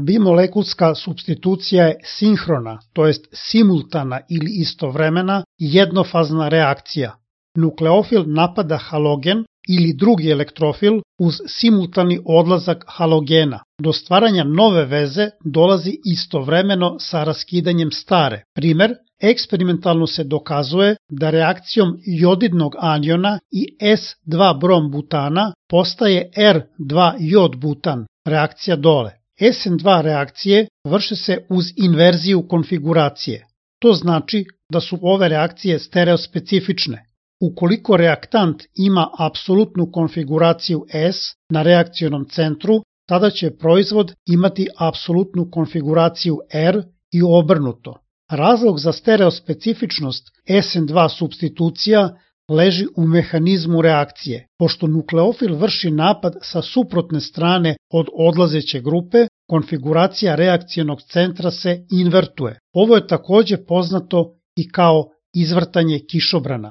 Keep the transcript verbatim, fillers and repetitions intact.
Bimolekulska supstitucija je sinhrona, to jest simultana ili istovremena jednofazna reakcija. Nukleofil napada halogen ili drugi elektrofil uz simultani odlazak halogena. Do stvaranja nove veze dolazi istovremeno sa raskidanjem stare. Primer, eksperimentalno se dokazuje da reakcijom jodidnog aniona i es dva brom butana postaje er dva jod butan, reakcija dole. es en dva reakcije vrše se uz inverziju konfiguracije. To znači da su ove reakcije stereospecifične. Ukoliko reaktant ima apsolutnu konfiguraciju S na reakcionom centru, tada će proizvod imati apsolutnu konfiguraciju R i obrnuto. Razlog za stereospecifičnost es en dva supstitucija leži u mehanizmu reakcije. Pošto nukleofil vrši napad sa suprotne strane od odlazeće grupe, konfiguracija reakcionog centra se invertuje. Ovo je takođe poznato i kao izvrtanje kišobrana.